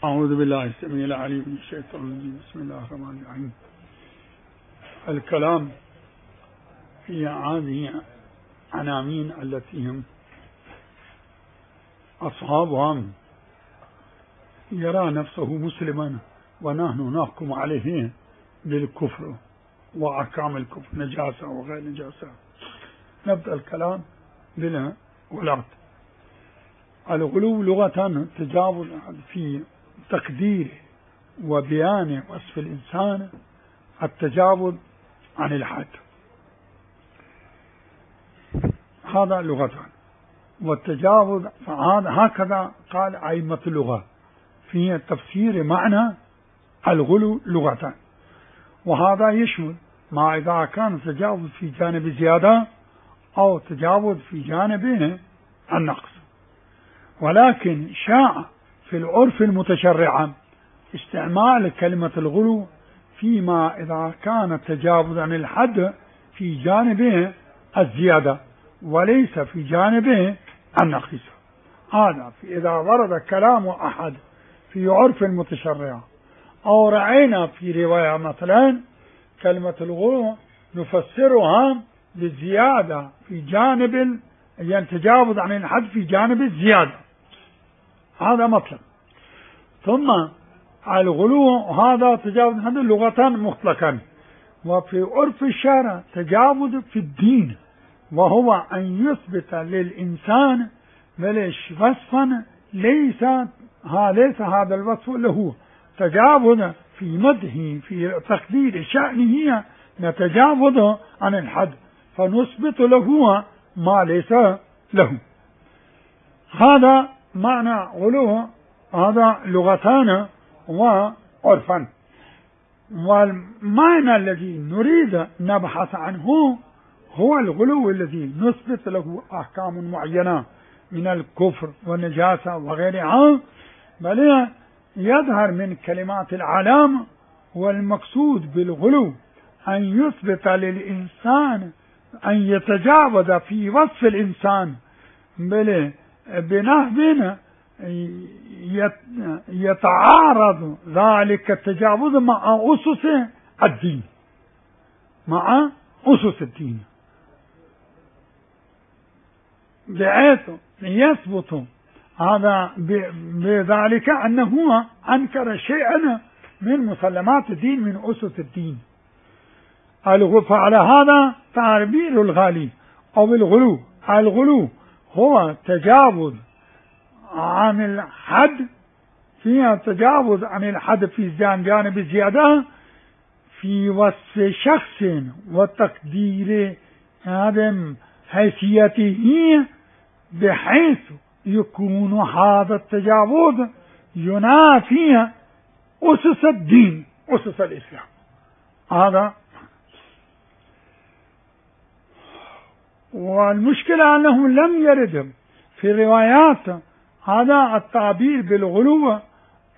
أعوذ بالله السميع العليم من الشيطان الرجيم. بسم الله الرحمن الرحيم. الكلام في هذه عناوين التي هم أصحابها يرى نفسه مسلما ونحن نحكم عليه بالكفر وأحكام الكفر، نجاسة وغير نجاسة. نبدأ الكلام بالغلات. الغلو لغة تجاوز في تقدير وبيان وصف الإنسان، التجاوز عن الحد، هذا لغة. والتجاوز هكذا قال أئمة اللغة في تفسير معنى الغلو لغة، وهذا يشمل ما إذا كان تجاوز في جانب زيادة أو تجاوز في جانب النقص. ولكن شاع في العرف المتشرع استعمال كلمة الغلو فيما إذا كان التجاوز عن الحد في جانبه الزيادة وليس في جانبه النقص. هذا إذا ورد كلام أحد في عرف المتشرع أو رأينا في رواية مثلا كلمة الغلو نفسرها بالزيادة في جانب، يعني تجاوز عن الحد في جانب الزيادة، هذا مطلق. ثم الغلو هذا تجاوز عن لغة مطلقا، وفي عرف الشرع تجاوز في الدين، وهو أن يثبت للإنسان وصفا ليس هذا الوصف له، تجاوز في مدحه في تقدير شأنه نتجاوز عن الحد فنثبت له ما ليس له. هذا معنى غلو، هذا لغتان وعرفا. والمعنى الذي نريد نبحث عنه هو الغلو الذي نثبت له أحكام معينة من الكفر والنجاسة وغيرها، بل يظهر من كلمات العلام. والمقصود بالغلو أن يثبت للإنسان أن يتجاوز في وصف الإنسان بنحو يتعارض ذلك التجاوز مع أسس الدين، مع أسس الدين، بحيث يثبت هذا بذلك أنه أنكر شيئا من مسلمات الدين من أسس الدين. فعلى هذا تعبير الغالي أو الغلو. الغلو هو تجاوز عن الحد، فيها تجاوز عن الحد في جانب الزيادة في وصف شخص وتقدير هذا حيثيته، بحيث يكون هذا التجاوز ينافي أسس الدين، أسس الإسلام. هذا والمشكلة أنه لم يرد في الروايات هذا التعبير بالغلو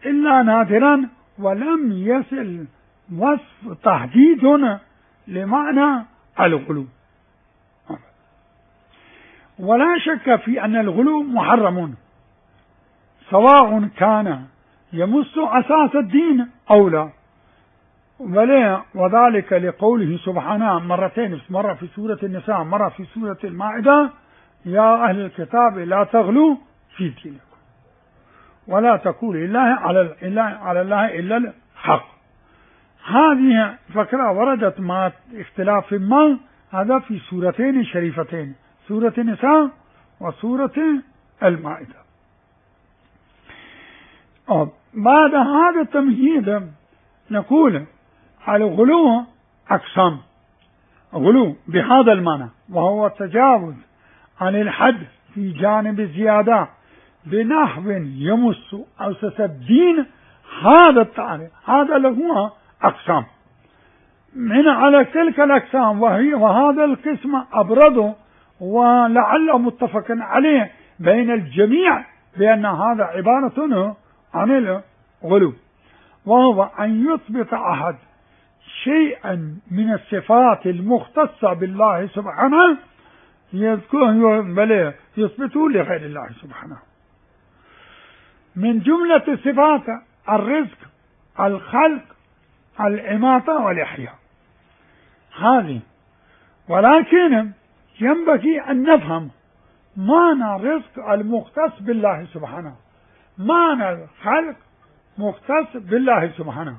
إلا نادرا، ولم يصل وصف تحديد لمعنى الغلو. ولا شك في أن الغلو محرم، سواء كان يمس أساس الدين أو لا، وذلك لقوله سبحانه مرتين، مرة في سورة النساء مرة في سورة المائدة: يا أهل الكتاب لا تغلوا في دينكم ولا تقولوا على الله إلا الحق. هذه فكرة وردت مع اختلاف ما، هذا في سورتين شريفتين، سورة النساء وسورة المائدة. بعد هذا التمهيد نقول الغلو أقسام. غلو بهذا المعنى وهو التجاوز عن الحد في جانب الزيادة بنحو يمس أسس الدين، هذا التعريف هذا له أقسام. من على تلك الأقسام وهذا القسم أبرد ولعل متفق عليه بين الجميع بأن هذا عبارة عن الغلو، وهو أن يثبت أحد شيئا من الصفات المختصة بالله سبحانه يثبته لغير الله سبحانه. من جملة الصفات الرزق، الخلق، الإماتة والإحياء، هذه. ولكن ينبغي أن نفهم معنى الرزق المختص بالله سبحانه، معنى الخلق مختص بالله سبحانه،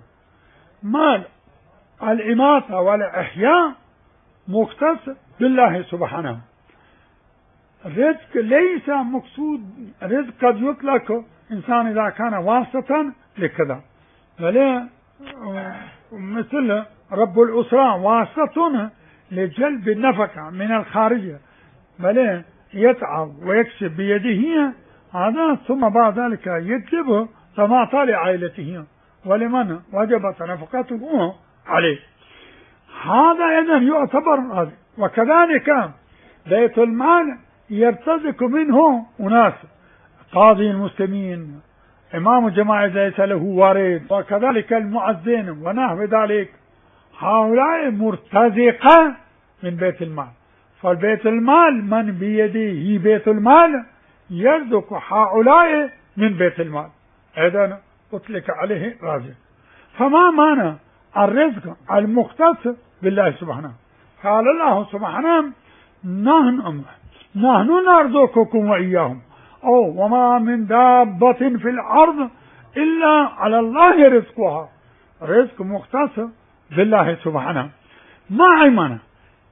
معنى الإماتة والإحياء مختص بالله سبحانه. الرزق ليس مقصود، الرزق قد يطلق إنسان إذا كان واسطة لكذا، مثل رب الأسرة واسطة لجلب النفقة من الخارجية، بل يتعب ويكسب بيده هذا، ثم بعد ذلك يكسبه فما لعائلته ولمن وجبت نفقته عليه. هذا إذن يعتبر هذا. وكذلك بيت المال يرتزق منه أناس، قاضي المسلمين، إمام الجماعة ليس له وارد، وكذلك المؤذن ونحو ذلك، هؤلاء مرتزقة من بيت المال. فالبيت المال من بيده بيت المال يرزق هؤلاء من بيت المال، إذن أطلق عليه رازق. فما معنى الرزق المختص بالله سبحانه؟ قال الله سبحانه نحن نرزقكم وإياهم، أو وما من دابة في الأرض إلا على الله رزقها، رزق مختص بالله سبحانه. ما معنى؟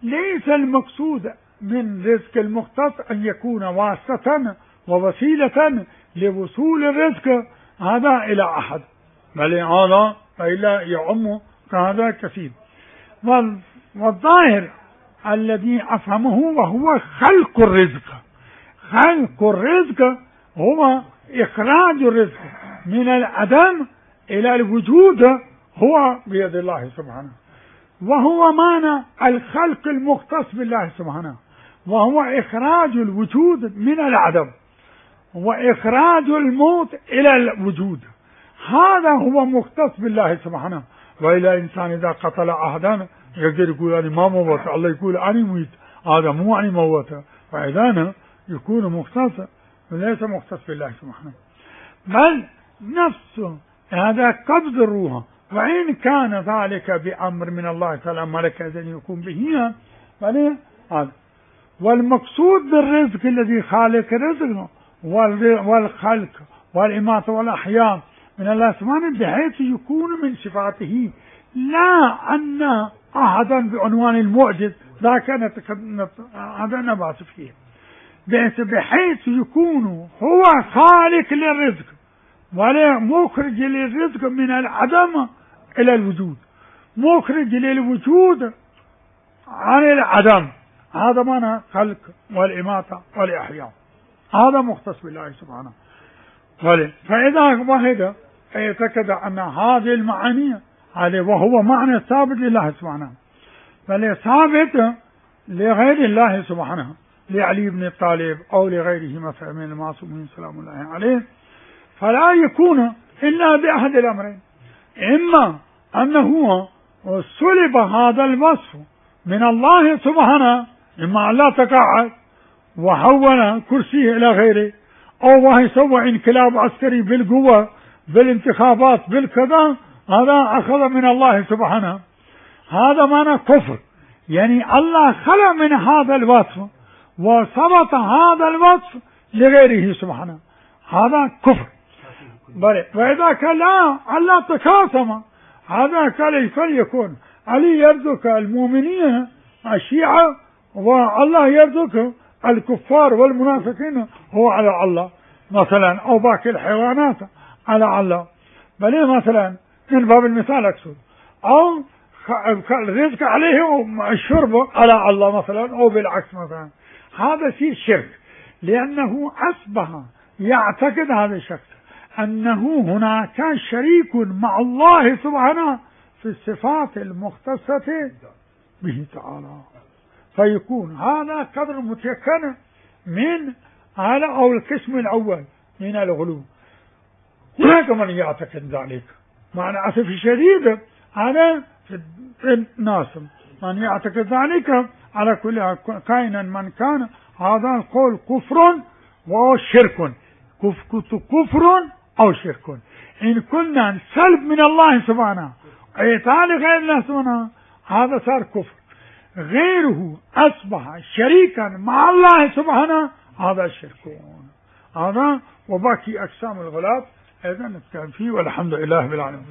ليس المقصود من رزق المختص أن يكون واسطة ووسيلة لوصول الرزق هذا إلى أحد، بل هذا إلا يعم هذا كثير. والظاهر الذي أفهمه وهو خلق الرزق. خلق الرزق هو إخراج الرزق من العدم إلى الوجود، هو بيد الله سبحانه، وهو معنى الخلق المختص بالله سبحانه، وهو إخراج الوجود من العدم وإخراج الموت إلى الوجود، هذا هو مختص بالله سبحانه. وإلى إنسان إذا قتل أحدا يقدر يقول أنا ما موت، الله يقول أنا ميت، هذا مو أنا موت، فإذا يكون مختص وليس مختص بالله سبحانه، بل نفسه هذا قبض الروح، وإن كان ذلك بأمر من الله تعالى ملك إذن يكون به، بل هذا. والمقصود بالرزق الذي خالق الرزق والخلق والإماتة والأحياء من الله سبحانه بحيث يكون من صفاته، لا أن أحدا بعنوان المعجز ذاك هذا نبعث فيه، بحيث يكون هو خالق للرزق ولا مخرج للرزق من العدم إلى الوجود، مخرج للوجود عن العدم، هذا معنى خلق والإماتة والإحياء، هذا مختص بالله سبحانه. فإذا واحد يعتقد أن هذه المعاني عليه وهو معنى ثابت لله سبحانه، بل ثابت لغير الله سبحانه، لعلي بن طالب أو لغيره مثلا من المعصومين سلام الله عليه، فلا يكون إلا بأحد الأمرين: إما أنه سلب هذا الوصف من الله سبحانه، إما أن لا تقاعد وحول كرسيه إلى غيره، أو وهي سوى انقلاب عسكري بالقوة بالانتخابات بالكذا، هذا أخذ من الله سبحانه، هذا معنى كفر. يعني الله خلق من هذا الوصف وثبت هذا الوصف لغيره سبحانه، هذا كفر. وإذا كان لا الله تقاسم، هذا كان فليكون علي يرزق المؤمنين الشيعة والله يرزق الكفار والمنافقين هو على الله مثلا، أو باقي الحيوانات على الله، بل مثلا من باب المثال أقصد، أو الرزق عليه الشرب على الله مثلا، أو بالعكس مثلا، هذا شيء شرك، لأنه أصبح يعتقد هذا الشخص أنه هناك شريك مع الله سبحانه في الصفات المختصة به تعالى، فيكون هذا قدر متيقن من هذا أو القسم الأول من الغلو. هناك من يعتقد ذلك، مع الأسف الشديد هذا في الناس من يعتقد ذلك، على كل كائنا من كان هذا القول كفر وشرك، كفر أو شرك. إن كنا نسلب من الله سبحانه إعطاء لغير الله سبحانه هذا صار كفر. غيره أصبح شريكا مع الله سبحانه هذا الشرك. هذا وباقي أقسام الغلاف أيضا نتكلم فيه والحمد لله بالعالمين.